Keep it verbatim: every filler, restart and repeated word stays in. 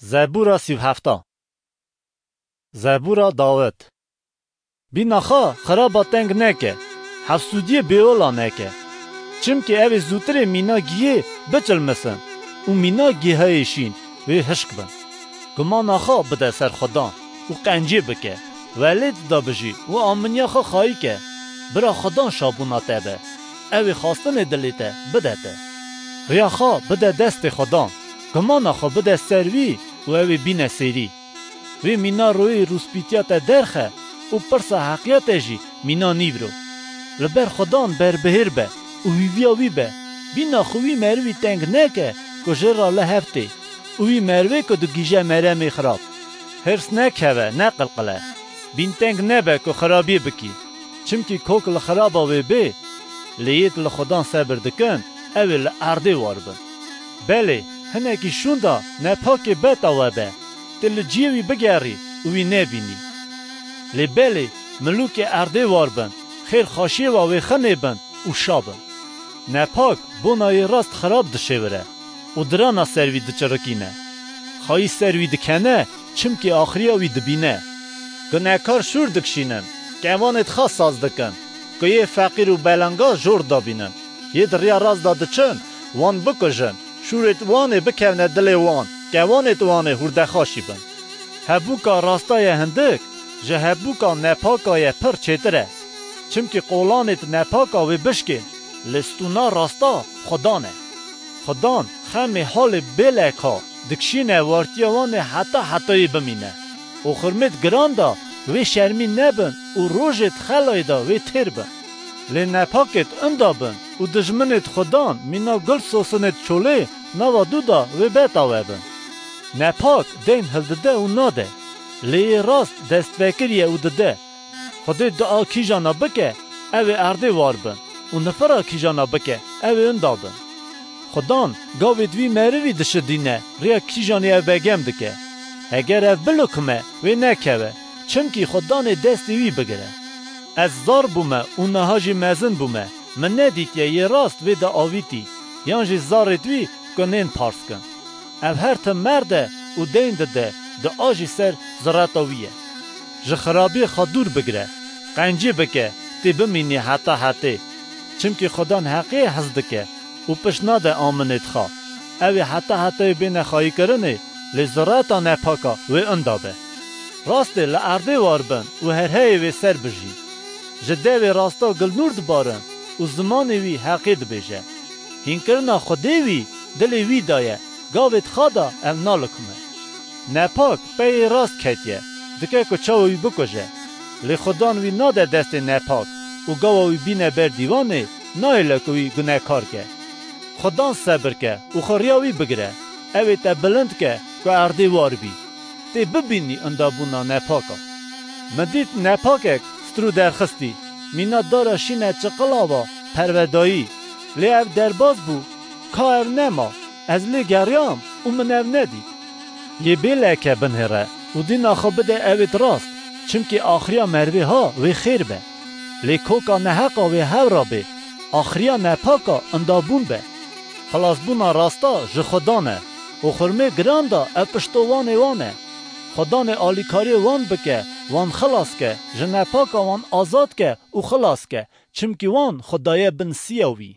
Zebûra sî û heft. Zebûra Dawid. Bîna xwe xiraba teng neke, hefsûdiyê bêola neke. Çimkî ew ê zûtirê mîna gihê biçilmisin û mîna gihayê şîn wê hişk bin. Gumana xwe bide ser Xudan û qencê bike. Welêt de bijî û aminiya xwe xayî ke. Bira Xudan şabûna te be. Ew ê xwestinê dilê te bide te. Riya xwe bide destê Xudan. Gumana xwe bide ser wî û ew ê bîne sêrî. Wê mîna royê rûspîtiya te derxe û pirsa heqiya te jî mîna nîvro. Li ber Xudan berbihêr be û hîviya wî be. Bîna xwe wî merivî teng neke ku jê re li hev tê û wî merivê ku digihîje meremê xirab. Hirs nekeve, neqilqile. Bînteng nebe ku xirabiyê bikî. Çimkî kok li xiraba wê bê, lê yêd li Xudan sebir dikin, ew ê li erdê war bin. Belê, hinekî şûnda nepakê beta we be, tê li ciyê wî bigerî û wî nebînî. Lê belê, milûkê erdê war bin, xêr xweşiyê we wê xinê bin û şa bin. Nepak bona yê rast xirab dişêwire û dirana ser wî diçirikîne. Xayî ser wî dikene, çimkî axiriya wî dibîne. Gunekar şûr dikişînin, kevanêd xwe saz dikin, ku yê feqîr û belanga jor dabînin. Yêd riya rast de diçin, wan bikujin, şûrêd wanê bikevne dilê wan, kevanêd wanê hûrdexaşî bin. Hebûka rasta ye hindik, ji hebûka nepaka ye pir çêtir e. Çimkî qolanêd nepaka wê bişkên, lê stûna rasta Xudan e. Xudan xemê halê bêleka dikişîne wartiya wan ê heta hetayê bimîne. Û xurmêd giran da wê şermî nebin û rojêd xelayê da wê têr bin. Lê nepakêd inda bin û dijminêd Xudan mîna gul sosinêd çolê nava dû da wê beta we bin. Nepak deyn hildide û nade, lê yê rast destvekirî ye û dide. Xwedê dua kîjana bike, ew ê erdê war bin û nifira kîjana bike, ew ê inda bin. Xudan gavêd wî merivî dişidîne, riya kîjanê ew begem dike. Heger ev bilikime, wê nekeve, çimkî Xudanê destê wî bigire. Ez zar bûme û niha jî mezin bûme, min nedîtiye yê rast vê de avîtî, yan jî zarêd wî ku nên pars kin. Ev her tim merd e û deyn dide, dua jî ser zireta wî ye. Ji xirabiyê xwe dûr bigire, qencî bike, tê bimînî heta hetê. Çimkî Xudan heqiyê hez dike û pişt nade aminêd xwe. Ew ê heta hetayê bêne xayîkirinê, lê zireta nepaka wê inda be. Rastê li erdê war bin û herheyê wê ser bijî. Ji devê rasta gilnûr dibarin û zimanê wî heqê dibêje. Hînkirina Xwedê wî dilê wî de ye, gavêd xwe da ew nalikime. Nepak peyê rast ketiye, dike ku çawa wî bikuje. Lê Xudan wî nade destê nepak û gawa wî bîne ber dîwanê, nahêle ku wî gunekar ke. Xudan sebir ke û xwe riya wî bigire, ew ê te bilind ke ku erdê war bî. Tê bibînî indabûna nepaka. Min dît nepakek strû derxistî, mîna dara şîne çiqila va pervedayî. Lê ev derbas bû, ka ev nema, ez lê geriyam û min ev nedît. Yê bê leke binhêre û dîna xwe bide ewêd rast, çimkî axiriya merivê ha wê xêr be. Lê koka neheqa wê hew ra bê, axiriya nepaka indabûn be. Xilasbûna rasta ji Xudan e û xurmê giran da ev pişto wanê wan e. Xudanê alîkariyê wan bike, wan xilas ke, ji nepaka wan azad ke û xilas ke, çimkî wan xwe daye bin siya wî.